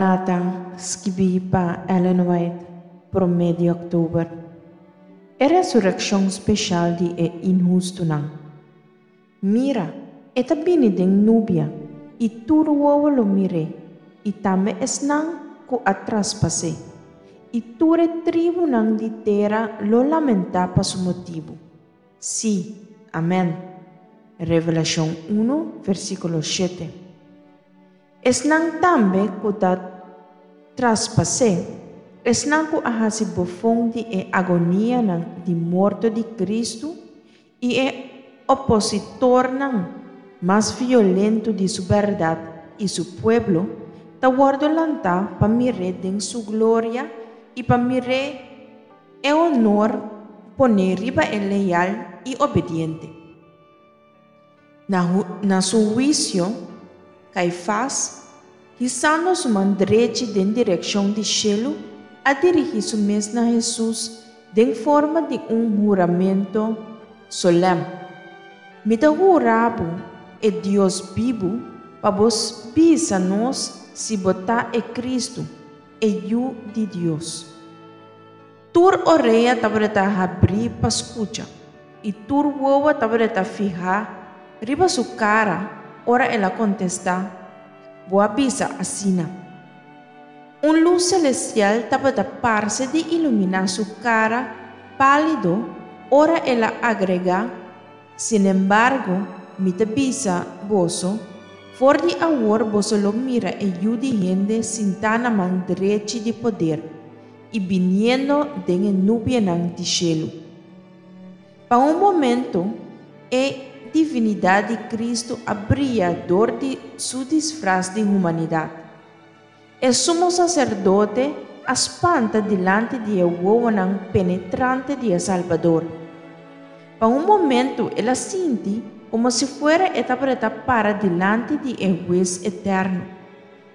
Maranata, skibí pa Ellen White, promé di òktober. E resurekshon speshal di e inhustunan. Mira, e ta bini den nubia, i tur wowo lo mir'é, i tambe esnan ku a traspas'é, i tur e tribunan di tera lo lamentá pa su motibu. Sí, amèn. Revelashon unu, versíkulo shete. Esnan tambe ku ta traspas'é, esnan ku a hasi bofon di e agonianan di morto di Kristu i e opositornan mas violento di su bèrdat i su pueblo, ta wòrdu lantá pa mir'é den su gloria i pa mir'é e honor poné riba e leal i obediente. Na su huisio, Kaifas, hisando su man drechi den direkshon di shelu, a dirigí su mes na Hesus den forma di un huramento solèm, Mi ta hura bo, e Dios bibu, pa bo bisa nos si bo ta e Kristu, e Yu di Dios. Tur orea tabata habrí pa skucha, i tur wowo tabata fihá riba su kara ora el a kontestá, Bo a bisa asina. Un lus selestial tabata parse di iluminá su kara pálido ora el a agregá, Sinembargo, mi ta bisa boso, for di awor boso lo mira e Yu di hende sintá na man drechi di poder, i biniendo den e nubianan di shelu. Pa un momento, e divinidat di Kristu a bria dor di Su disfras di humanidat. E sumo saserdote a spanta dilanti di e wowonan penetrante di e Salbador. Pa un momento el a sinti komo si fuera e tabata para dilanti di e Hues eterno.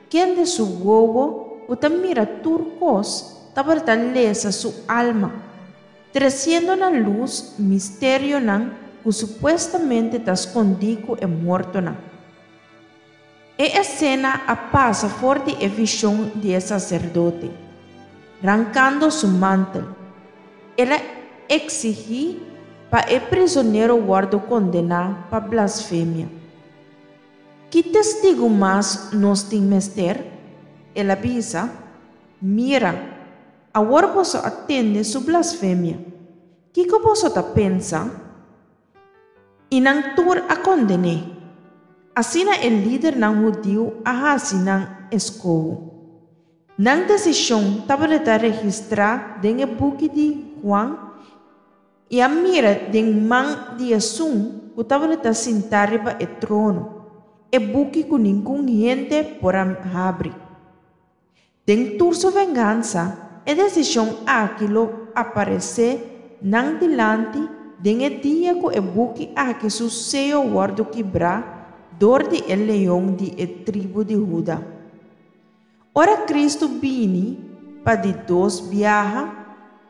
Kende su wowo ku ta mira tur kos tabata lesa su alma, tresiendo na lus misterionan ku supuestamente ta skondí ku e mortonan. E esena a pasa for di e vishon di e saserdote. Rankando su mantel, el a eksigí pa e prizonero wòrdu kondená pa blasfemia. Ki testigu mas nos tin mester? El a bisa, Mira, awor boso a tende su blasfemia. Kiko boso ta pensa? I nan tur a konden'é. Asina e lidernan hudiu a hasi nan eskoho. Nan desishon tabata registrá den e buki di Juan I a mira den man di esun ku tabata sintá riba e trono, e buki ku ningun hende por a habri. Den tur su vengansa, e desishon aki lo aparesé nan dilanti den e dia ku e buki aki su seyo wòrdu kibrá dor di e Leon di e tribu di Huda. Ora Kristu bini pa di dos biaha,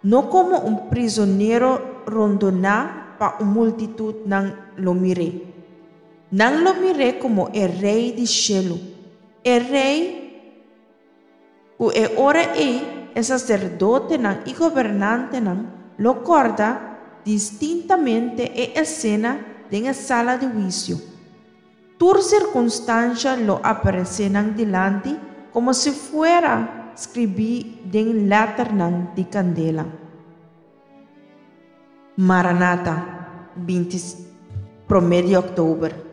no komo un prizonero rondoná pa un multitut nan lo mir'é. Nan lo mir'é komo e Rei di shelu, e Rei ku e ora ei e saserdotenan i gobernantenan lo kòrda distintamente e esena den e sala di huisio. Tur sirkunstansha lo aparesé nan dilanti komo si fuera skribí den lèternan di kandela. Maranata, binti promé di òktober.